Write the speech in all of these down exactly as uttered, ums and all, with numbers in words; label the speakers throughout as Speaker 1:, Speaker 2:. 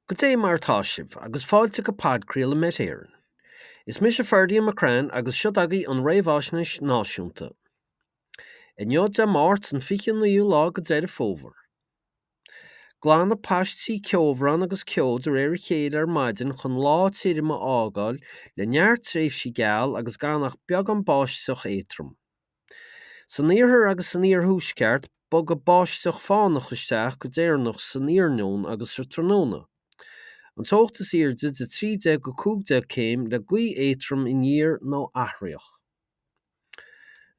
Speaker 1: Goidé mar atá sibh, agus fáilte go podchraoladh Met Éireann. Is mise Ferdia McCrann agus seo agaibh an Réamhaisnéis Náisiúnta. Inniu Dé Máirt an fiche naoú lá de Deireadh Fómhair. Glanfaidh paistí ceobhrán agus ceo de réir a chéile ar maidin chun lá tirim a fhágáil le neart tréimhsí geal agus gan ach beagán báisteach éadrom. San iarthar agus san iarthuaisceart, bogfaidh báisteach fánach isteach go deireanach san iarnóin agus sa tráthnóna. An teocht is airde de trí déag go cúig déag céim le gaoth éadrom aniar nó athraitheach.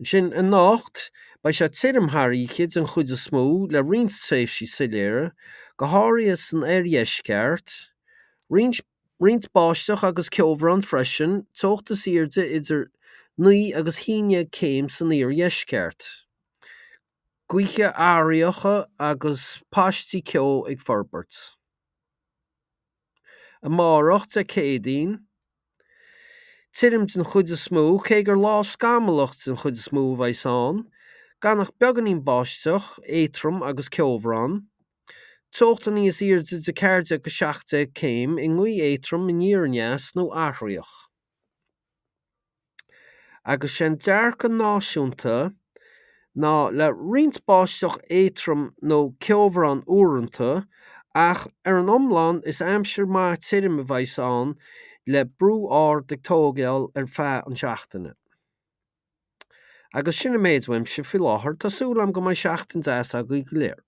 Speaker 1: Ansin anocht, beidh sé tirim thar oíche den chuid is mó le roinnt tréimhsí soiléire, go háirithe san oirdheisceart, roinnt roinnt báisteach agus ceobhrán freisin, teocht is airde idir naoi agus haon déag céim san iardheisceart. Gaotha athraitheacha agus paistí ceo ag forbairt. Amárach, Dé Céadaoin, tirim den chuid is mó, cé gur lá scamallach den chuid is mó a bheas ann, gan ach beagáinín báisteach, éadrom agus ceobhrán, teocht níos airde de ceathair déag go seacht déag céim i ngaoth éadrom aniar aneas nó athraitheach. Agus sé an dearcadh náisiúnta ná le roinnt báisteach éadrom nó ceobhrán uaireanta, ach ar an iomlán is aimsir maith tirim a bheas ann le brú ard ag tógáil ar feadh an seachtaine. Agus sin an méid uaimse faoi láthair, tá súil agam go mbeidh seachtain deas agaibh go léir.